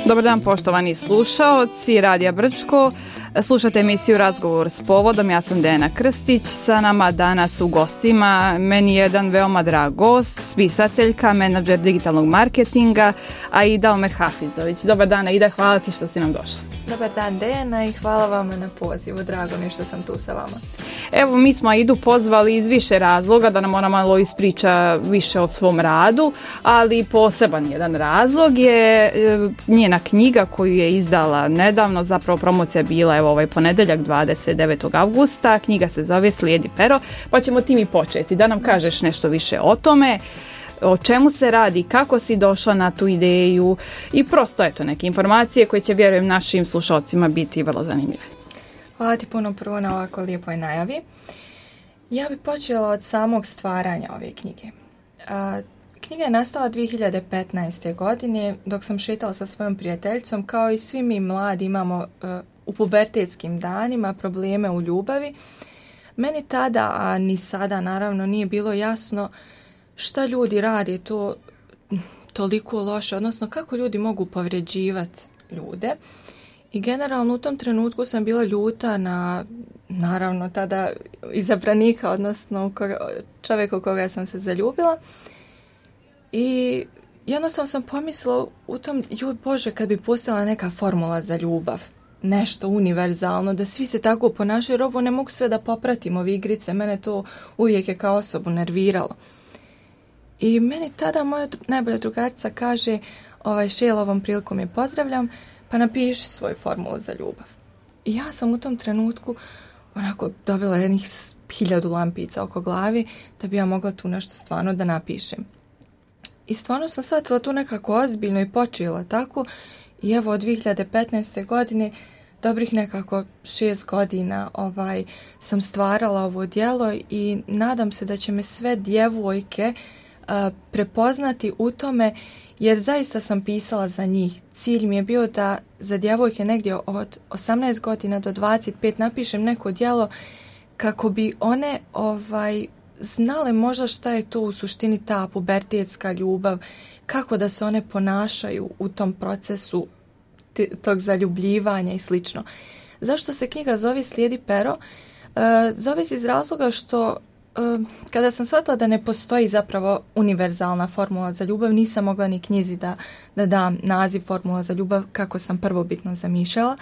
Dobar dan poštovani slušaoci Radija Brčko. Slušate emisiju Razgovor s povodom. Ja sam Dejana Krstić. Sa nama danas u gostima meni je jedan veoma drag gost, spisateljka, menadžer digitalnog marketinga, Aida Omer Hafizović. Dobar dan Aida, hvala ti što si nam došla. Dobar dan Dejana i hvala vam na pozivu. Drago mi je što sam tu sa vama. Evo, mi smo Aidu pozvali iz više razloga, da nam ona malo ispriča više o svom radu, ali poseban jedan razlog je njena knjiga koju je izdala nedavno, zapravo promocija je bila ovaj ponedjeljak 29. avgusta, knjiga se zove Slijedi pero, pa ćemo ti mi početi, da nam kažeš nešto više o tome, o čemu se radi, kako si došla na tu ideju i prosto eto neke informacije koje će, vjerujem, našim slušalcima biti vrlo zanimljive. Hvala ti puno prvo na ovako lijepoj najavi. Ja bih počela od samog stvaranja ove knjige. Knjiga je nastala 2015. godine dok sam šetala sa svojom prijateljicom. Kao i svi mi mladi imamo u pubertetskim danima probleme u ljubavi. Meni tada, a ni sada naravno, nije bilo jasno šta ljudi rade to toliko loše, odnosno kako ljudi mogu povređivati ljude. I generalno u tom trenutku sam bila ljuta na, naravno, tada izabranika, odnosno čovjeka u koga sam se zaljubila. I jednostavno sam pomislila u tom, joj Bože, kad bi postojala neka formula za ljubav, nešto univerzalno, da svi se tako ponašaju, jer ovo ne mogu sve da popratim, ove igrice, mene to uvijek je kao osobu nerviralo. I meni tada moja najbolja drugarica kaže, Šela, ovom prilikom je pozdravljam, pa napiši svoju formulu za ljubav. I ja sam u tom trenutku onako dobila jednih 1000 lampica oko glavi da bi ja mogla tu nešto stvarno da napišem. I stvarno sam shvatila tu nekako ozbiljno i počela tako. I evo od 2015. godine, dobrih nekako 6 godina sam stvarala ovo djelo i nadam se da će me sve djevojke prepoznati u tome, jer zaista sam pisala za njih. Cilj mi je bio da za djevojke negdje od 18 godina do 25 napišem neko djelo kako bi one znale možda šta je to u suštini ta pubertetska ljubav, kako da se one ponašaju u tom procesu tog zaljubljivanja i slično. Zašto se knjiga zove Slijedi pero? Zove se iz razloga što kada sam shvatila da ne postoji zapravo univerzalna formula za ljubav, nisam mogla ni knjizi da dam naziv formula za ljubav kako sam prvobitno zamišljala.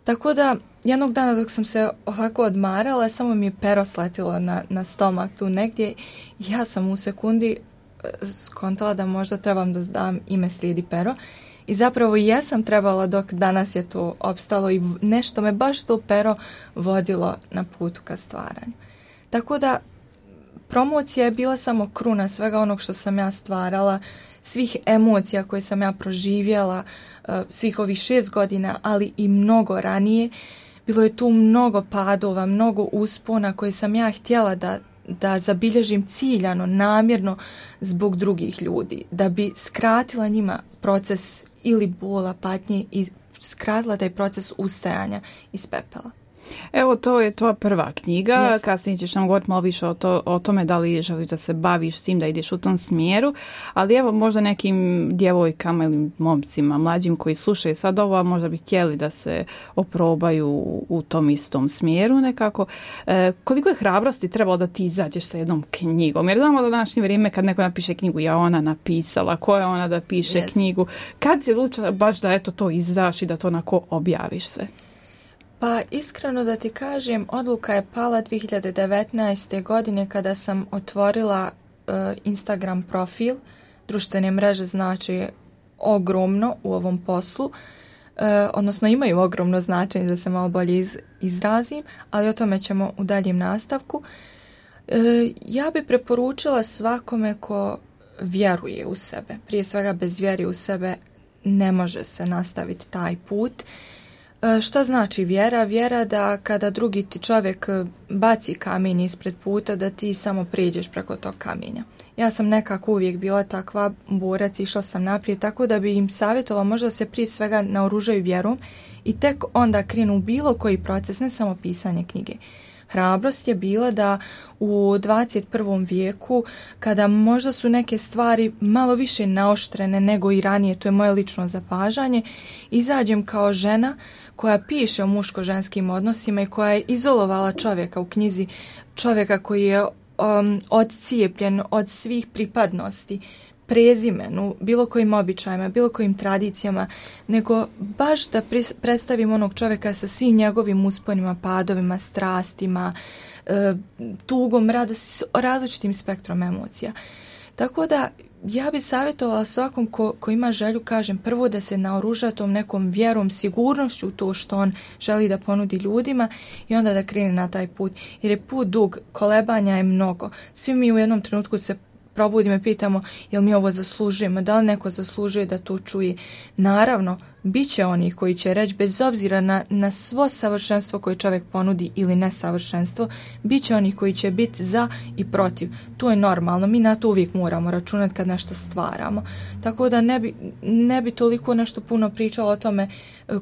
Tako da jednog dana dok sam se ovako odmarala, samo mi je pero sletilo na stomak tu negdje. Ja sam u sekundi skontala da možda trebam da dam ime Slijedi pero. I zapravo i jesam trebala, dok danas je to opstalo i nešto me baš to pero vodilo na putu ka stvaranju. Tako da promocija je bila samo kruna svega onog što sam ja stvarala, svih emocija koje sam ja proživjela, svih ovih 6 godina, ali i mnogo ranije. Bilo je tu mnogo padova, mnogo uspona koje sam ja htjela da zabilježim ciljano, namjerno zbog drugih ljudi, da bi skratila njima proces ili bola, patnje i skratila taj proces ustajanja iz pepela. Evo, to je tvoja prva knjiga, Yes. Kasnije ćeš nam govoriti malo više o tome da li želiš da se baviš s tim, da ideš u tom smjeru, ali evo možda nekim djevojkama ili momcima mlađim koji slušaju sad ovo, možda bi htjeli da se oprobaju u tom istom smjeru nekako. Koliko je hrabrosti trebalo da ti izađeš sa jednom knjigom? Jer znamo da današnje vrijeme kad neko napiše knjigu, ja ona napisala, ko je ona da piše Yes. knjigu? Kad si odlučila baš da eto to izdaš i da to onako objaviš se? Pa iskreno da ti kažem, odluka je pala 2019. godine kada sam otvorila Instagram profil. Društvene mreže znači ogromno u ovom poslu, odnosno imaju ogromno značenje, da se malo bolje izrazim, ali o tome ćemo u daljem nastavku. Ja bi preporučila svakome ko vjeruje u sebe. Prije svega bez vjere u sebe ne može se nastaviti taj put. Šta znači vjera? Vjera da kada drugi ti čovjek baci kamenje ispred puta, da ti samo prijeđeš preko tog kamenja. Ja sam nekako uvijek bila takva borac, išla sam naprijed, tako da bi im savjetovala možda se prije svega naoružaju vjerom i tek onda krenu u bilo koji proces, ne samo pisanje knjige. hrabrost je bila da u 21. vijeku, kada možda su neke stvari malo više naoštrene nego i ranije, to je moje lično zapažanje, izađem kao žena koja piše o muško-ženskim odnosima i koja je izolovala čovjeka u knjizi, čovjeka koji je odcijepljen od svih pripadnosti, prezimenu, bilo kojim običajima, bilo kojim tradicijama, nego baš da predstavim onog čovjeka sa svim njegovim usponima, padovima, strastima, tugom, radosti, različitim spektrom emocija. Tako da ja bih savjetovala svakom ko ima želju, kažem, prvo da se naoruža tom nekom vjerom, sigurnošću u to što on želi da ponudi ljudima i onda da krene na taj put. Jer je put dug, kolebanja je mnogo. Svi mi u jednom trenutku se probudimo i pitamo jel mi ovo zaslužujemo, da li neko zaslužuje da to čuje. Naravno, bit će oni koji će reći, bez obzira na svo savršenstvo koje čovjek ponudi ili nesavršenstvo, bit će oni koji će biti za i protiv. To je normalno, mi na to uvijek moramo računati kad nešto stvaramo. Tako da ne bi toliko nešto puno pričala o tome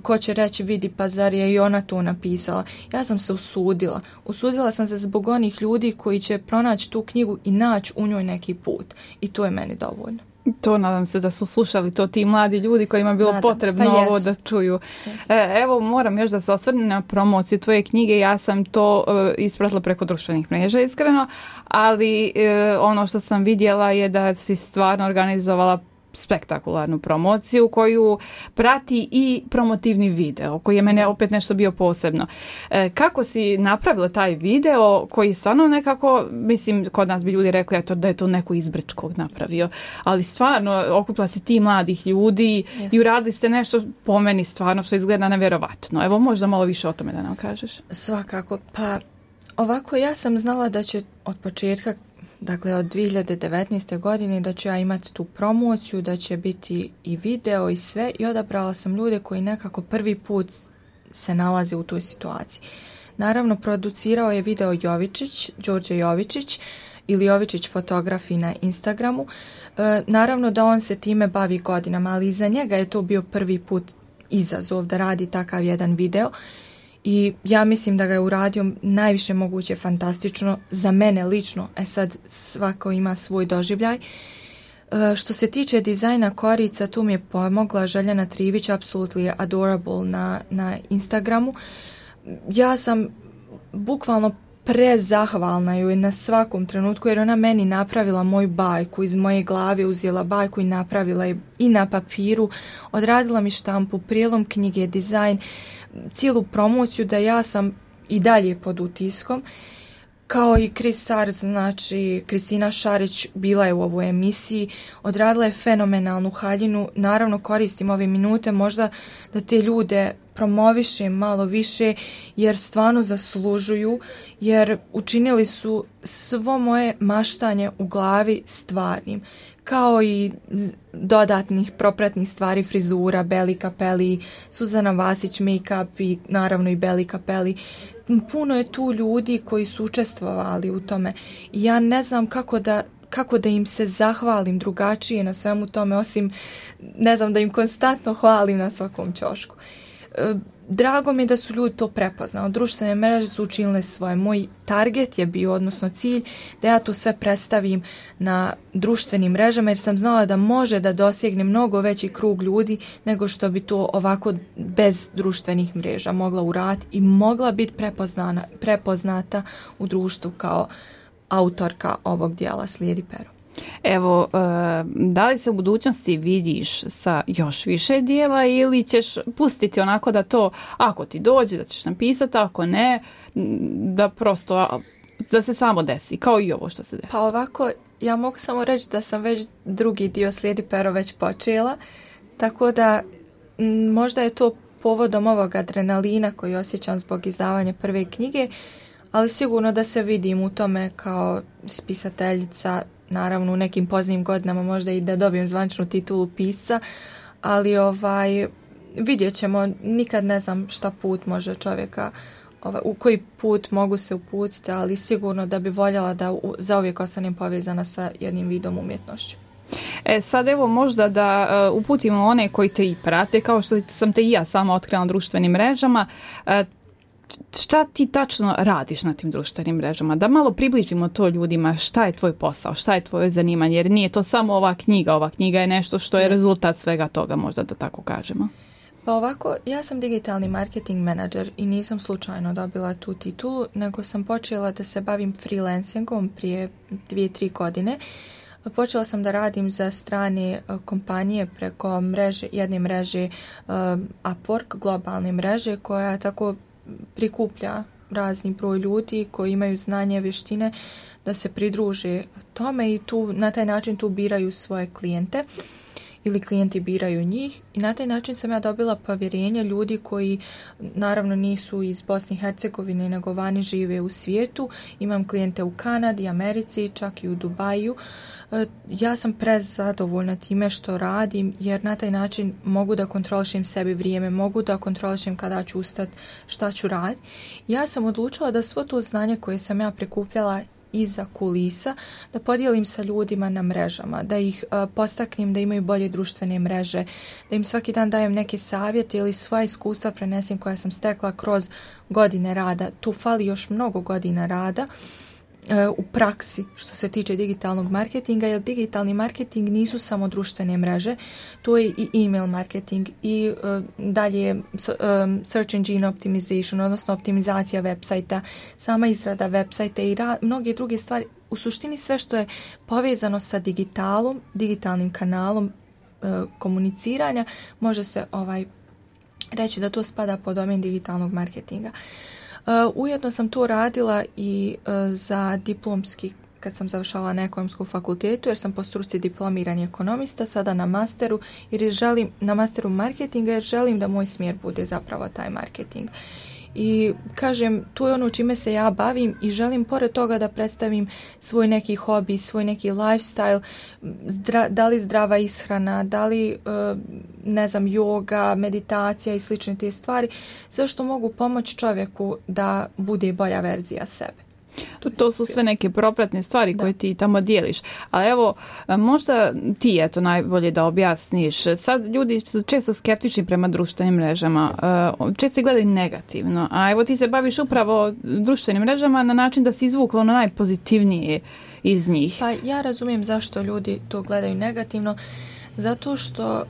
ko će reći vidi pa zar je i ona to napisala. Ja sam se usudila. Usudila sam se zbog onih ljudi koji će pronaći tu knjigu i naći u njoj neki put. I to je meni dovoljno. To nadam se da su slušali to ti mladi ljudi kojima je bilo potrebno ovo da čuju. Evo, moram još da se osvrnem na promociju tvoje knjige. Ja sam to ispratila preko društvenih mreža, iskreno, ali ono što sam vidjela je da si stvarno organizovala spektakularnu promociju koju prati i promotivni video koji je mene opet nešto bio posebno. Kako si napravila taj video koji stvarno nekako, mislim, kod nas bi ljudi rekli da je to neko izbrčkog napravio, ali stvarno okupila si ti mladih ljudi i uradili ste nešto po meni stvarno što izgleda nevjerovatno. Evo, možda malo više o tome da nam kažeš. Svakako, pa ovako ja sam znala da će od početka, dakle od 2019. godine, da ću ja imati tu promociju, da će biti i video i sve, i odabrala sam ljude koji nekako prvi put se nalaze u toj situaciji. Naravno, producirao je video Jovičić, Đorđe Jovičić, ili Jovičić fotografi na Instagramu. Naravno da on se time bavi godinama, ali iza njega je to bio prvi put izazov da radi takav jedan video. I ja mislim da ga je uradio najviše moguće fantastično za mene lično. Sad svako ima svoj doživljaj. Što se tiče dizajna korica, tu mi je pomogla Željana Trivić, Absolutely Adorable na Instagramu. Ja sam bukvalno prezahvalna joj na svakom trenutku, jer ona meni napravila moju bajku, iz moje glave uzela bajku i napravila je i na papiru, odradila mi štampu, prijelom knjige, dizajn, cijelu promociju, da ja sam i dalje pod utiskom. Kao i znači Kristina Šarić bila je u ovoj emisiji, odradila je fenomenalnu haljinu. Naravno koristim ove minute možda da te ljude promovišem malo više, jer stvarno zaslužuju, jer učinili su svo moje maštanje u glavi stvarnim, kao i dodatnih propratnih stvari, frizura, Beli Kapeli, Suzana Vasić, make-up i naravno i Beli Kapeli. Puno je tu ljudi koji su učestvovali u tome i ja ne znam kako da im se zahvalim drugačije na svemu tome, osim ne znam, da im konstantno hvalim na svakom ćošku. Drago mi je da su ljudi to prepoznali. Društvene mreže su učinile svoje. Moj target je bio, odnosno cilj, da ja to sve predstavim na društvenim mrežama, jer sam znala da može da dosegne mnogo veći krug ljudi nego što bi to ovako bez društvenih mreža mogla uraditi i mogla biti prepoznata u društvu kao autorka ovog dijela Slijedi pero. Evo, da li se u budućnosti vidiš sa još više dijela ili ćeš pustiti onako da to, ako ti dođe, da ćeš napisati, ako ne, da prosto, da se samo desi, kao i ovo što se desi? Pa ovako, ja mogu samo reći da sam već drugi dio Slijedi pero već počela, tako da možda je to povodom ovog adrenalina koji osjećam zbog izdavanja prve knjige, ali sigurno da se vidim u tome kao spisateljica, naravno u nekim poznijim godinama možda i da dobijem zvaničnu titulu pisca, ali vidjet ćemo, nikad ne znam šta put može čovjeka, u koji put mogu se uputiti, ali sigurno da bi voljela da zauvijek ostanem povezana sa jednim vidom umjetnošću. Sad evo možda da uputimo one koji te i prate, kao što sam te i ja sama otkrila na društvenim mrežama. šta ti tačno radiš na tim društvenim mrežama? Da malo približimo to ljudima, šta je tvoj posao, šta je tvoje zanimanje, jer nije to samo ova knjiga je nešto što je rezultat svega toga, možda da tako kažemo. Pa ovako, ja sam digitalni marketing menadžer i nisam slučajno dobila tu titulu, nego sam počela da se bavim freelancingom prije 2-3 godine. Počela sam da radim za strane kompanije preko jedne mreže Upwork, globalne mreže, koja tako prikuplja razni broj ljudi koji imaju znanje, vještine da se pridruže tome i na taj način tu biraju svoje klijente ili klijenti biraju njih i na taj način sam ja dobila povjerenje ljudi koji naravno nisu iz Bosne i Hercegovine nego vani žive u svijetu. Imam klijente u Kanadi, Americi, čak i u Dubaju. Ja sam prezadovoljna time što radim jer na taj način mogu da kontrolišem sebi vrijeme, mogu da kontrolišem kada ću ustati, šta ću raditi. Ja sam odlučila da svo to znanje koje sam ja prikupljala iza kulisa, da podijelim sa ljudima na mrežama, da ih postaknem da imaju bolje društvene mreže, da im svaki dan dajem neke savjete ili svoja iskustva prenesem koja sam stekla kroz godine rada. Tu fali još mnogo godina rada u praksi što se tiče digitalnog marketinga, jer digitalni marketing nisu samo društvene mreže, to je i email marketing i dalje search engine optimization, odnosno optimizacija websajta, sama izrada websajta i mnoge druge stvari. U suštini sve što je povezano sa digitalnim kanalom komuniciranja, može se reći da to spada pod domen digitalnog marketinga. Ujedno sam to radila i za diplomski, kad sam završavala na ekonomskom fakultetu, jer sam po struci diplomirani ekonomista, sada na masteru, na masteru marketinga, jer želim da moj smjer bude zapravo taj marketing. I kažem, to je ono čime se ja bavim i želim pored toga da predstavim svoj neki hobi, svoj neki lifestyle, da li zdrava ishrana, da li yoga, meditacija i slične te stvari, sve što mogu pomoći čovjeku da bude bolja verzija sebe. To su sve neke propratne stvari koje ti tamo dijeliš. A evo, možda ti najbolje da objasniš. Sad ljudi su često skeptični prema društvenim mrežama. Često gledaju negativno. A evo ti se baviš upravo društvenim mrežama na način da si izvukla ono najpozitivnije iz njih. Pa ja razumijem zašto ljudi to gledaju negativno. Zato što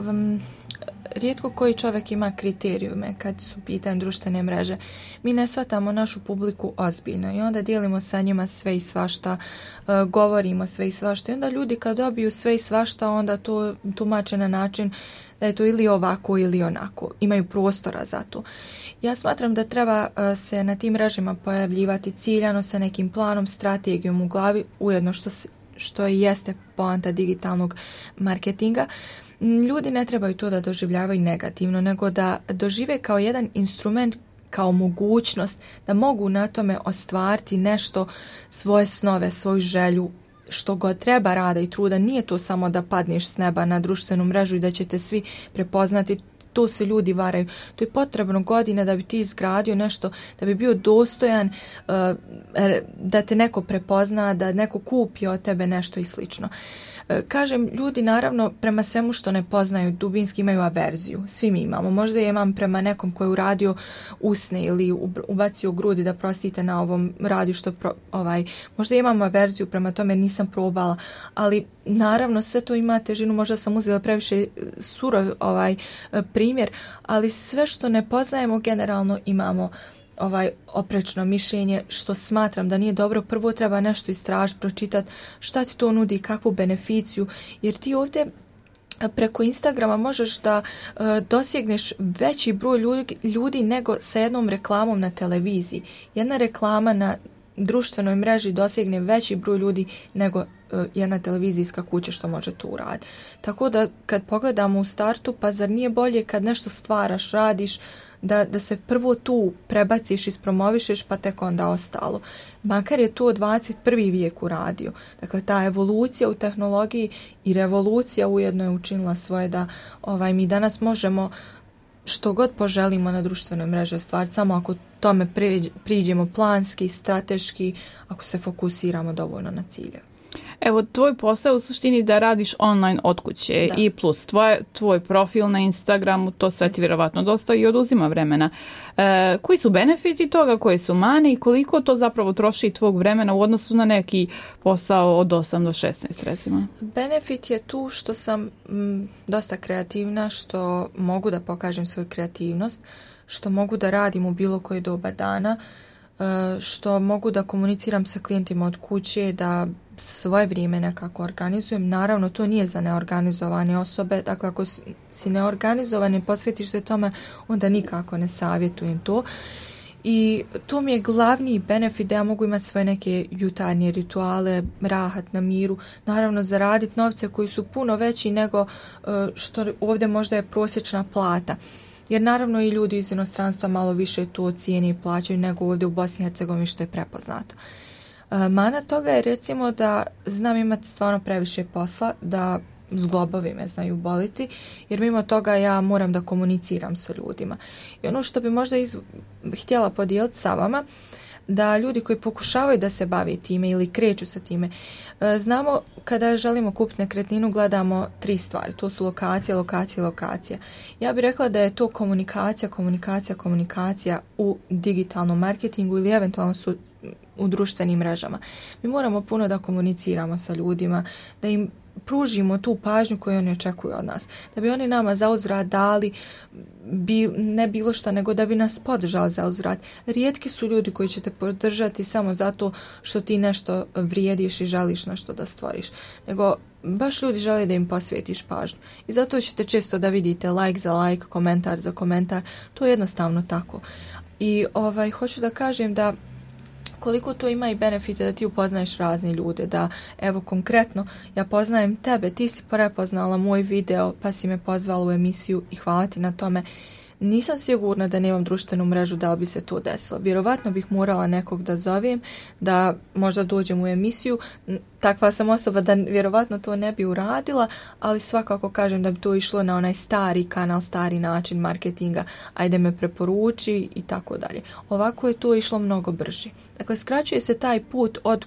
rijetko koji čovjek ima kriterijume kad su pitanje društvene mreže. Mi ne shvatamo našu publiku ozbiljno i onda dijelimo sa njima sve i svašta, govorimo sve i svašta i onda ljudi kad dobiju sve i svašta onda to tumače na način da je to ili ovako ili onako. Imaju prostora za to. Ja smatram da treba se na tim mrežama pojavljivati ciljano sa nekim planom, strategijom u glavi, ujedno što i jeste poanta digitalnog marketinga. Ljudi ne trebaju to da doživljavaju negativno, nego da dožive kao jedan instrument, kao mogućnost da mogu na tome ostvariti nešto, svoje snove, svoju želju, što god treba rada i truda. Nije to samo da padneš s neba na društvenu mrežu i da ćete svi prepoznati. To se ljudi varaju. To je potrebno godine da bi ti izgradio nešto, da bi bio dostojan, da te neko prepozna, da neko kupi od tebe nešto i slično. Kažem, ljudi naravno prema svemu što ne poznaju dubinski imaju averziju. Svi mi imamo. Možda je imam prema nekom koji je uradio usne ili ubacio grudi, da prostite na ovom radiju možda imam averziju prema tome, nisam probala, ali naravno sve to ima težinu, možda sam uzela previše surov primjer, ali sve što ne poznajemo generalno imamo oprečno mišljenje, što smatram da nije dobro. Prvo treba nešto istražiti, pročitati šta ti to nudi, kakvu beneficiju, jer ti ovdje preko Instagrama možeš da dosjegneš veći broj ljudi nego sa jednom reklamom na televiziji. Jedna reklama na društvenoj mreži dosjegne veći broj ljudi nego jedna televizijska kuća što može to uraditi. Tako da kad pogledamo u startu, pa zar nije bolje kad nešto stvaraš, radiš, da se prvo tu prebaciš, ispromovišeš, pa tek onda ostalo. Makar je to 21. vijek uradio. Dakle, ta evolucija u tehnologiji i revolucija ujedno je učinila svoje da mi danas možemo što god poželimo na društvenoj mreži stvari, samo ako tome priđemo planski, strateški, ako se fokusiramo dovoljno na cilje. Evo, tvoj posao u suštini da radiš online od kuće i plus tvoj profil na Instagramu, to sve ti vjerovatno dosta i oduzima vremena. Koji su benefiti toga, koji su mane i koliko to zapravo troši tvog vremena u odnosu na neki posao od 8 do 16 recimo? Benefit je tu što sam dosta kreativna, što mogu da pokažem svoju kreativnost, što mogu da radim u bilo koje doba dana, što mogu da komuniciram sa klijentima od kuće, da svoje vrijeme nekako organizujem. Naravno, to nije za neorganizovane osobe. Dakle, ako si neorganizovan i posvetiš se tome, onda nikako ne savjetujem to. I to mi je glavni benefit da ja mogu imati svoje neke jutarnje rituale, rahat na miru, naravno zaraditi novce koji su puno veći nego što ovdje možda je prosječna plata. Jer naravno i ljudi iz inostranstva malo više to cijene i plaćaju nego ovdje u Bosni i Hercegovini što je prepoznato. Mana toga je recimo da znam imati stvarno previše posla, da zglobovi me znaju boliti, jer mimo toga ja moram da komuniciram sa ljudima. I ono što bi možda htjela podijeliti sa vama, da ljudi koji pokušavaju da se bave time ili kreću sa time, znamo kada želimo kupiti nekretninu gledamo 3 stvari, to su lokacija. Ja bih rekla da je to komunikacija u digitalnom marketingu ili eventualno u društvenim mrežama. Mi moramo puno da komuniciramo sa ljudima, da im pružimo tu pažnju koju oni očekuju od nas. Da bi oni nama zauzvrat dali ne bilo šta, nego da bi nas podržali zauzvrat. Rijetki su ljudi koji će te podržati samo zato što ti nešto vrijediš i želiš nešto da stvoriš. Nego baš ljudi žele da im posvetiš pažnju. I zato ćete često da vidite like za like, komentar za komentar. To je jednostavno tako. I hoću da kažem da koliko to ima i benefite da ti upoznaješ razne ljude, da evo konkretno ja poznajem tebe, ti si prepoznala moj video pa si me pozvala u emisiju i hvala ti na tome. Nisam sigurna da nemam društvenu mrežu da li bi se to desilo. Vjerovatno bih morala nekog da zovem, da možda dođem u emisiju. Takva sam osoba da vjerovatno to ne bi uradila, ali svakako kažem da bi to išlo na onaj stari kanal, stari način marketinga, ajde me preporuči i tako dalje. Ovako je to išlo mnogo brže. Dakle, skraćuje se taj put od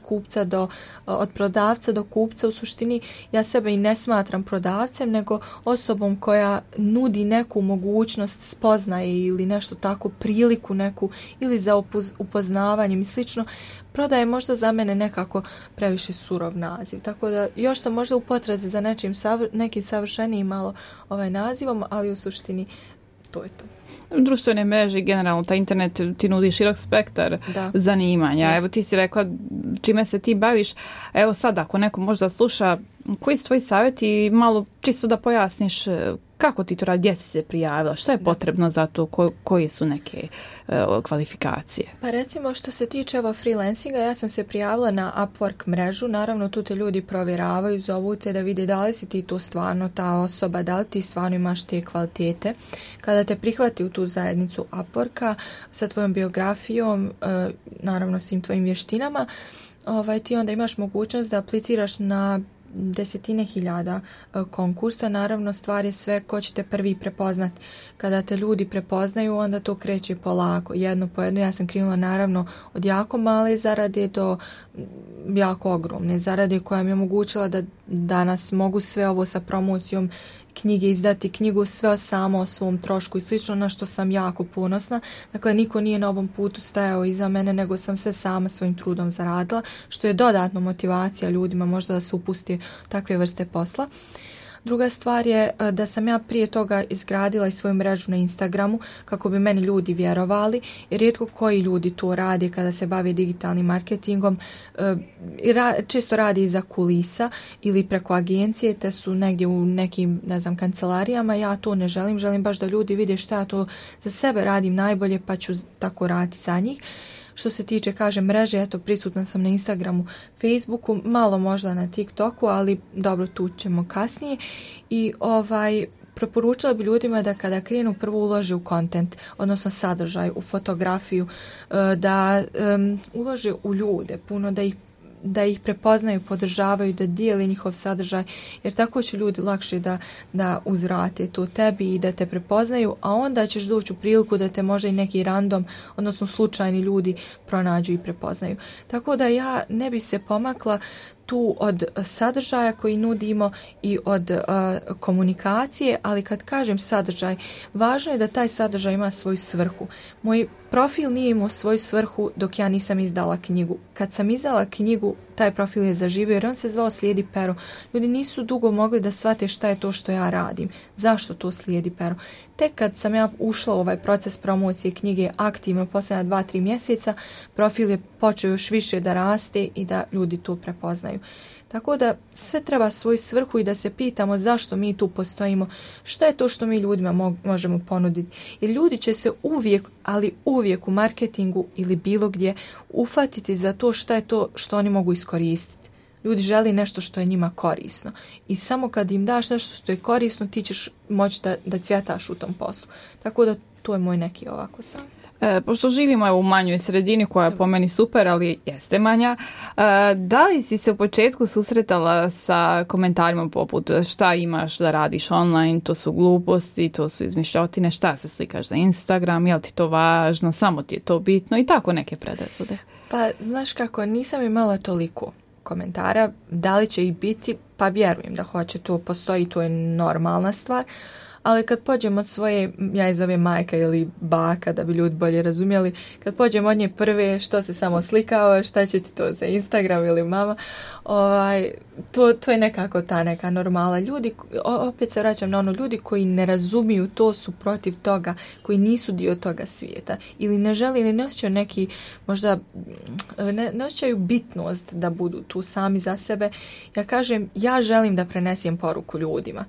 prodavca do kupca. U suštini ja sebe i ne smatram prodavcem, nego osobom koja nudi neku mogućnost spoznaje ili nešto tako, priliku neku ili za upoznavanjem i slično. Prodaje možda za mene nekako previše surov naziv, tako da još sam možda u potrazi za nekim savršenijim malo nazivom, ali u suštini to je to. Društvene mreže i generalno taj internet ti nudi širok spektar zanimanja. Yes. Evo ti si rekla čime se ti baviš. Evo sad ako neko možda sluša, koji su tvoji savjeti, malo čisto da pojasniš kako ti to radi, gdje si se prijavila, što je potrebno za to, koje su neke kvalifikacije? Pa recimo što se tiče freelancinga, ja sam se prijavila na Upwork mrežu, naravno tu te ljudi provjeravaju, zovu te da vide da li si ti to stvarno ta osoba, da li ti stvarno imaš te kvalitete. Kada te prihvati u tu zajednicu Upworka sa tvojom biografijom, naravno svim tvojim vještinama, ti onda imaš mogućnost da apliciraš na desetine hiljada konkursa. Naravno, stvar je sve ko će te prvi prepoznat. Kada te ljudi prepoznaju, onda to kreće polako, jedno po jedno. Ja sam krenula naravno od jako male zarade do jako ogromne zarade koja mi je omogućila da danas mogu sve ovo sa promocijom knjige izdati, knjigu sve samo o svom trošku i slično, na što sam jako ponosna. Dakle, niko nije na ovom putu stajao iza mene, nego sam sve sama svojim trudom zaradila, što je dodatno motivacija ljudima možda da se upusti takve vrste posla. Druga stvar je da sam ja prije toga izgradila i svoju mrežu na Instagramu kako bi meni ljudi vjerovali, jer rijetko koji ljudi to rade kada se bave digitalnim marketingom. Često radi iza kulisa ili preko agencije, te su negdje u nekim, kancelarijama. Ja to ne želim baš da ljudi vide šta ja to za sebe radim najbolje, pa ću tako raditi za njih. Što se tiče, mreže, prisutna sam na Instagramu, Facebooku, malo možda na TikToku, ali dobro, tu ćemo kasnije. I preporučila bi ljudima da kada krenu prvo ulože u content, odnosno sadržaj, u fotografiju, da ulože u ljude, puno da ih prepoznaju, podržavaju, da dijeli njihov sadržaj, jer tako će ljudi lakše da uzvrate to tebi i da te prepoznaju, a onda ćeš doći u priliku da te možda i neki random, odnosno slučajni ljudi pronađu i prepoznaju. Tako da ja ne bi se pomakla tu od sadržaja koji nudimo i od komunikacije, ali kad kažem sadržaj, važno je da taj sadržaj ima svoju svrhu. Moj profil nije imao svoju svrhu dok ja nisam izdala knjigu. Kad sam izdala knjigu, taj profil je zaživio jer on se zvao Slijedi pero. Ljudi nisu dugo mogli da shvate šta je to što ja radim. Zašto to Slijedi pero? Tek kad sam ja ušla u ovaj proces promocije knjige aktivno posljednja 2-3 mjeseca, profil je počeo još više da raste i da ljudi to prepoznaju. Tako da sve treba svoju svrhu i da se pitamo zašto mi tu postojimo, šta je to što mi ljudima možemo ponuditi. Jer ljudi će se uvijek, ali uvijek u marketingu ili bilo gdje ufatiti za to šta je to što oni mogu iskoristiti. Ljudi želi nešto što je njima korisno i samo kad im daš nešto što je korisno ti ćeš moći da cvjetaš u tom poslu. Tako da to je moj neki ovako sam. Pošto živimo u manjoj sredini koja je po meni super, ali jeste manja, da li si se u početku susretala sa komentarima poput šta imaš da radiš online, to su gluposti, to su izmišljotine, šta se slikaš za Instagram, je li ti to važno, samo ti je to bitno i tako neke predrasude? Pa znaš kako, nisam imala toliko komentara, da li će ih biti, pa vjerujem da hoće, to postoji, to je normalna stvar. Ali kad pođemo od svoje, ja je zovem majka ili baka da bi ljudi bolje razumjeli, kad pođemo od nje prve što se samo slikava, šta će ti to za Instagram ili mama, to je nekako ta neka normala. Ljudi, opet se vraćam na ono, ljudi koji ne razumiju to su protiv toga, koji nisu dio toga svijeta ili ne žele ili ne osjećaju neki, možda ne osjećaju bitnost da budu tu sami za sebe. Ja kažem, ja želim da prenesem poruku ljudima.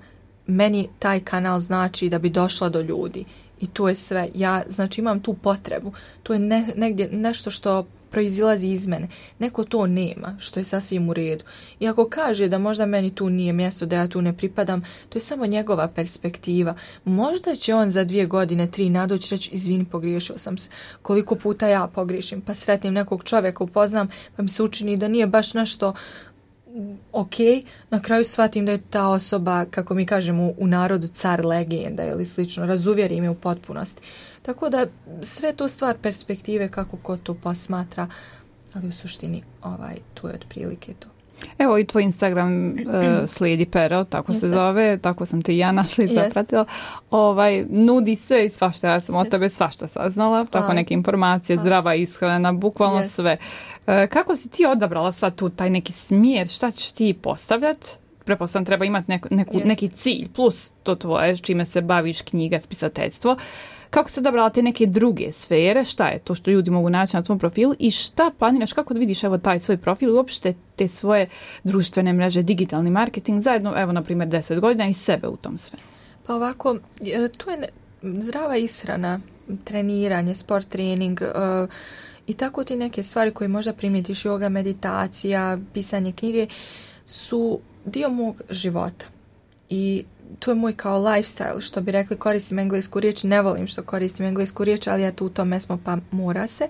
Meni taj kanal znači da bi došla do ljudi i to je sve. Ja znači imam tu potrebu. To je negdje nešto što proizilazi iz mene. Neko to nema, što je sasvim u redu. I ako kaže da možda meni tu nije mjesto, da ja tu ne pripadam, to je samo njegova perspektiva. Možda će on za 2 godine, 3 nadoći reći, izvini, pogriješio sam se. Koliko puta ja pogriješim, pa sretnim nekog čovjeka, upoznam, pa mi se učini da nije baš nešto ok, na kraju shvatim da je ta osoba, kako mi kažemo u narodu, car legenda ili slično, razuvjeri me u potpunosti. Tako da sve to stvar perspektive kako ko to posmatra, ali u suštini tu je otprilike to. Evo i tvoj Instagram Slijedi pero, tako se zove, tako sam te i ja našla i zapratila. Nudi sve i svašta, ja sam od tebe svašta saznala, tako neke informacije, zdrava ishrana, bukvalno sve. Kako si ti odabrala sad tu taj neki smjer, šta ćeš ti postavljati? Pretpostavljam treba imati neki cilj, plus to tvoje, čime se baviš, knjiga, spisateljstvo. Kako se odabrala te neke druge sfere, šta je to što ljudi mogu naći na tvom profilu i šta planiraš, kako vidiš evo taj svoj profil i uopšte te svoje društvene mreže, digitalni marketing zajedno, evo na primjer 10 godina i sebe u tom sve? Pa ovako, tu je zdrava ishrana, treniranje, sport trening i tako ti neke stvari koje možda primijetiš, yoga, meditacija, pisanje knjige su dio mog života i to je moj kao lifestyle, što bi rekli, koristim englesku riječ, ne volim što koristim englesku riječ, ali ja tu u tome smo pa mora se.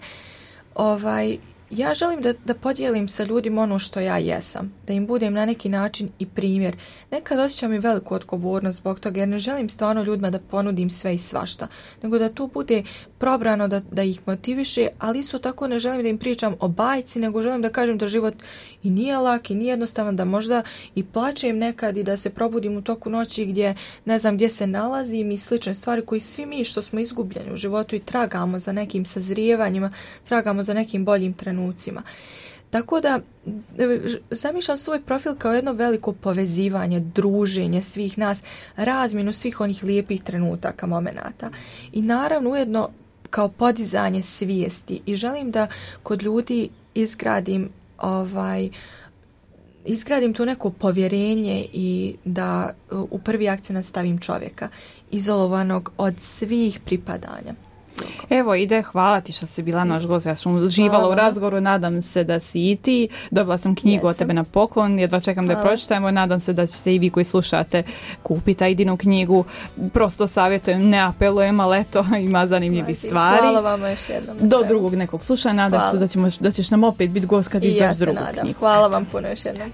Ja želim da podijelim sa ljudima ono što ja jesam, da im budem na neki način i primjer. Nekad osjećam i veliku odgovornost zbog toga jer ne želim stvarno ljudima da ponudim sve i svašta, nego da tu bude probrano da ih motiviše, ali isto tako ne želim da im pričam o bajci, nego želim da kažem da život i nije lak i nije jednostavan, da možda i plačem nekad i da se probudim u toku noći gdje ne znam gdje se nalazim i slične stvari koji svi mi što smo izgubljeni u životu i tragamo za nekim sazrijevanjima, tragamo za nekim boljim trenucima. Tako da zamišljam svoj profil kao jedno veliko povezivanje, druženje svih nas, razmjenu svih onih lijepih trenutaka, momenata i naravno ujedno kao podizanje svijesti i želim da kod ljudi izgradim to neko povjerenje i da u prvi akcenat stavim čovjeka izolovanog od svih pripadanja. Evo ide, hvala ti što si bila naš gost, ja sam uživala u razgovoru, nadam se da si i ti, dobila sam knjigu od tebe na poklon, jedva čekam da je pročitajemo, nadam se da ćete i vi koji slušate kupiti Aidinu knjigu, prosto savjetujem, ne apelujem, ali eto, ima zanimljivih stvari. Hvala vam još jednom. Do drugog nekog slušanja, nadam se da ćeš nam opet biti gost kad izdaš drugu knjigu. Hvala vam puno još jednom.